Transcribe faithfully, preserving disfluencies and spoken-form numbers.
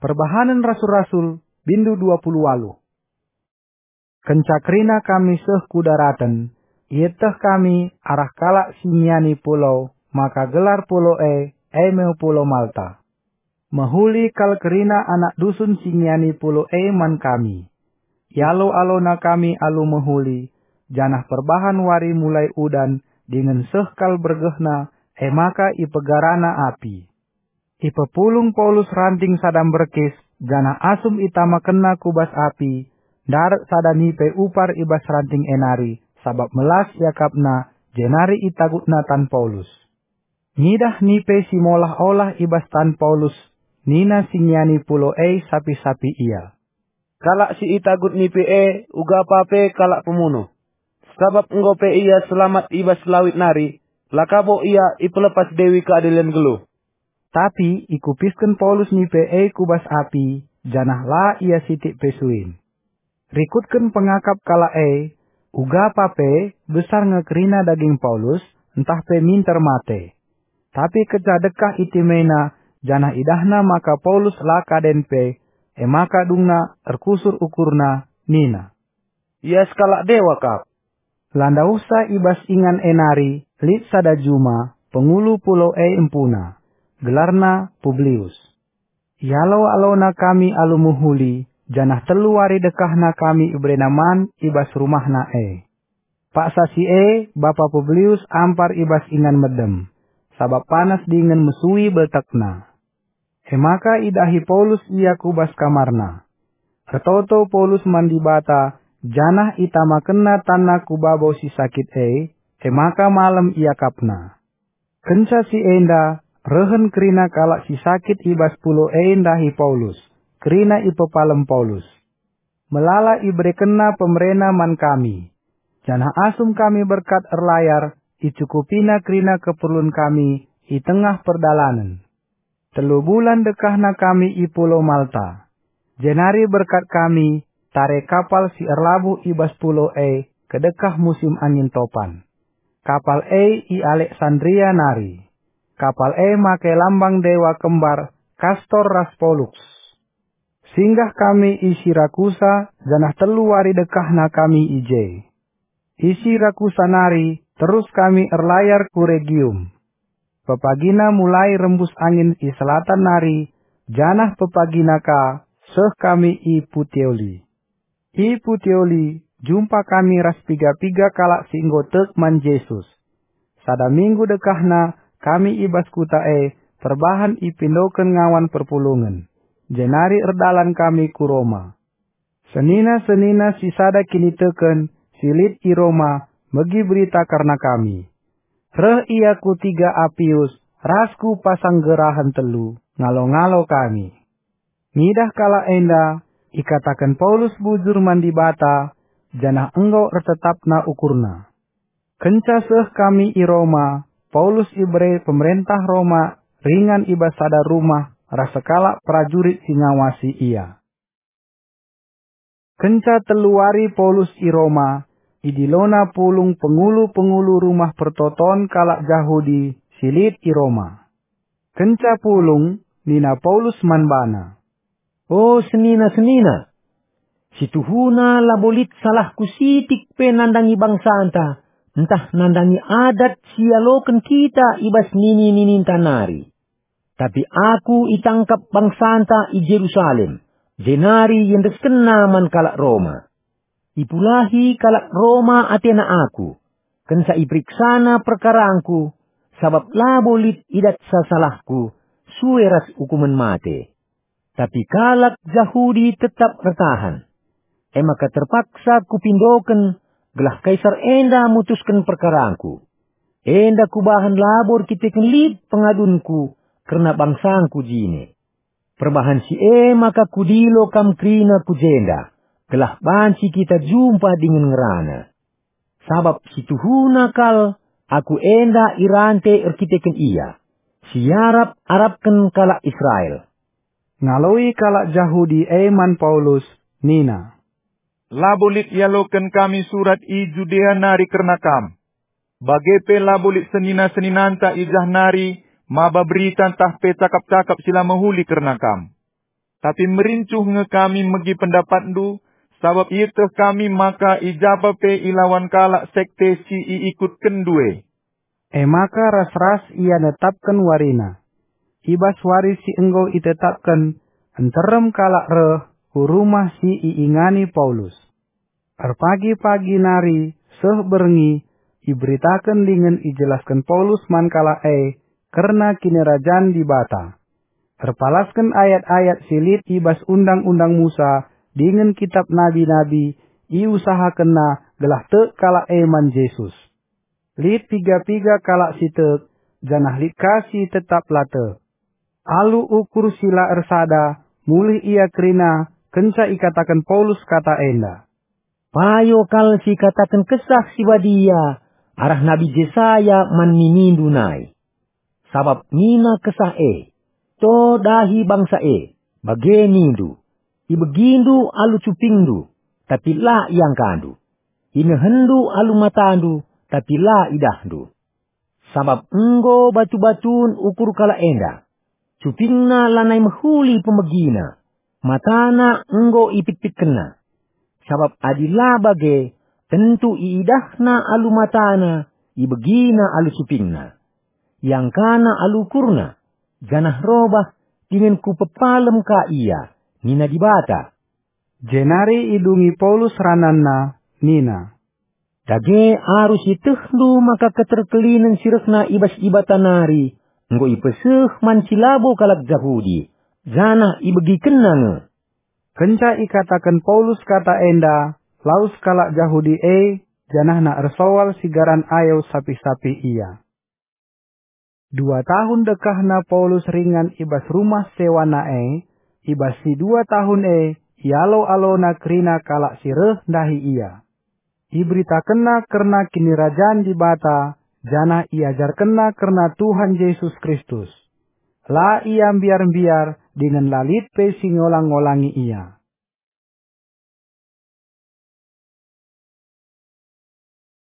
Perbahanen Rasul-Rasul, bindu dua puluh waluh. Kenca kerina kami seh ku daraten, ieteh kami arah kalak si ngiani pulau, maka gelar pulau e, e me Pulau Malta. Mehuli kal kerina anak dusun si ngiani pulau e man kami. Ialo-alona kami alu mehuli, janah perbahan wari mulai udan dingen seh kal bergehna, e maka ipegarana api. Ipepulung Paulus ranting sada mberkis, janah asum itamakenna ku bas api, ndarat sada nipe upar i bas ranting e nari, sabap melas iakapna, jenari itagutna tan Paulus. Ngidah nipe si molah-olah i bas tan Paulus, nina si ngiani pulau e sapi-sapi ia, "Kalak si itagut nipe e ugapa pe kalak pemunuh. Sabap enggo pe ia selamat i bas lawit nari, la ka bo ia ipelepas Dewi Keadilen nggeluh." Tapi ikupisken Paulus nipe e ku bas api, janah la ia sitik pe suin. Rikutken pengakap kalak e, ugapa pe besar nge kerina daging Paulus, ntah pe minter mate. Tapi kenca dekah itimena, janah idahna maka Paulus la kaden pe, e maka dungna erkusur ukurna, nina, "Ia sekalak dewa kap." La ndauhsa i bas ingan e nari lit sada juma, pengulu pulau e empuna, gelarna Publius. Ialo-alona kami alu mehuli, janah telu wari dekahna kami iberena man i bas rumahna e. Paksa si e, bapa Publius ampar i bas ingan medem, sabap panas dingen mesui beltekna. E maka idahi Paulus ia ku bas kamarna. Ertoto Paulus man Dibata, janah itamakenna tanna ku babo si sakit e, e maka malem iakapna. Kenca si enda, rehen kerina kalak si sakit i bas pulau e ndahi Paulus, kerina ipepalem Paulus. Melala iberekenna pemerena man kami, janah asum kami berkat erlayar, icukupina kerina keperlun kami i tengah perdalanen. Telu bulan dekahna kami i Pulau Malta. Jenari berkat kami tare kapal si erlabuh i bas pulau e kedekah musim angin topan. Kapal e i Aleksandria nari. Kapal e make lambang dewa kembar Kastor ras Poluks. Singgah kami i Sirakusa, janah telu wari dekahna kami i je. I Sirakusa nari terus kami erlayar ku Regium. Pepagina mulai rembus angin i selatan nari, janah pepagina ka seh kami i Puteoli. I Puteoli jumpa kami ras piga-piga kalak si enggo tek man Jesus. Sada minggu dekahna kami i bas kuta e perbahan ipindoken ngawan perpulungen, jenari erdalan kami ku Roma. Senina-senina si sada kiniteken si lit i Roma megi berita kerna kami. Reh ia ku Tiga Apius ras ku Pasanggerahen Telu, ngalo-ngalo kami. Ngidah kalak enda, ikataken Paulus bujur man Dibata, janah enggo ertetapna ukurna. Kenca seh kami i Roma, Paulus ibere pemerentah Roma ringan i bas sada rumah ras sekalak perajurit si ngawasi ia. Kenca telu wari Paulus i Roma, idilona pulung pengulu-pengulu rumah pertoton kalak Jahudi si lit i Roma. Kenca pulung, nina Paulus man bana, "O senina-senina, situhuna labo lit salahku sitik pe nandangi bangsanta, ntah nandangi adat si ialoken kita i bas nini-nininta nari. Tapi aku itangkap bangsanta i Jerusalem, jenari iendeskenna man kalak Roma. Ipulahi kalak Roma atena aku, kenca iperiksana perkarangku, sabap labo lit idatsa salahku, sue ras ukumen mate. Tapi kalak Jahudi tetap ertahan. E maka terpaksa kupindoken gelah Kaisar enda mutusken perkarangku. Enda kubahan labo erkiteken lit pengadunku kerna bangsangku jine. Perbahan si e maka kudilo kam kerina ku jenda, gelah banci kita jumpa dingen ngerana. Sabap situhuna kal aku enda irante erkiteken ia, si iarap-arapken kalak Israel." Ngaloi kalak Jahudi e man Paulus, nina, "Labo lit ialoken kami surat i Judea nari kerna kam. Bage pe labo lit senina-seninanta i jah nari maba berita ntah pe cakap-cakap si la mehuli kerna kam. tapi merincuh nge kami megi pendapatndu, sabap ieteh kami maka i japa pe ilawan kalak sekte si iikutkenndu e." E maka ras-ras ia netapken warina. I bas wari si enggo itetapken, nterem kalak reh ku rumah si iingani Paulus. Erpagi-pagi nari seh berngi, iberitaken dingen ijelasken Paulus man kalak e kerna Kinirajan Dibata. Erpalasken ayat-ayat si lit i bas Undang-undang Musa dingen Kitap Nabi-nabi, iusahakenna gelah tek kalak e man Jesus. Lit piga-piga kalak si tek, janah lit ka si tetap la tek. Alu ukur si la ersada, mulih ia kerina kenca ikataken Paulus kata enda. Payo kal si ikataken Kesah Si Badia arah Nabi Jesaya man ninindu nai. Sabap nina Kesah e, "To dahi bangsa e, bage nindu, ibegindu alu cupingndu, tapi la iangkandu. Inehenndu alu matandu, tapi la idahndu. Sabap enggo batu-batun ukur kalak enda. Cupingna lanai mehuli pemegina, matana enggo ipitpitkenna. Sabap adi la bage, tentu iidahna alu matana, ibegina alu cupingna. Iangkana alu ukurna, janah robah dingen kupepalem ka ia," nina Dibata. Jenari idungi Paulus rananna, nina, "Dage arus ietehndu maka keterkelinen si rehna i bas Dibata nari enggo ipeseh man si labo kalak Jahudi, janah ibegikenna nge." Kenca ikataken Paulus kata enda, lawes kalak Jahudi e, janahna ersoal sigaran ayo sapih-sapih ia. Dua tahun dekahna Paulus ringan i bas rumah sewana e, i bas si dua tahun e ialo-alona kerina kalak si reh ndahi ia. Iberitakenna kerna Kinirajan Dibata, janah iajarkenna kerna Tuhan Jesus Kristus. La ia mbiar-mbiar dingen la lit pe si ngolang-ngolangi ia.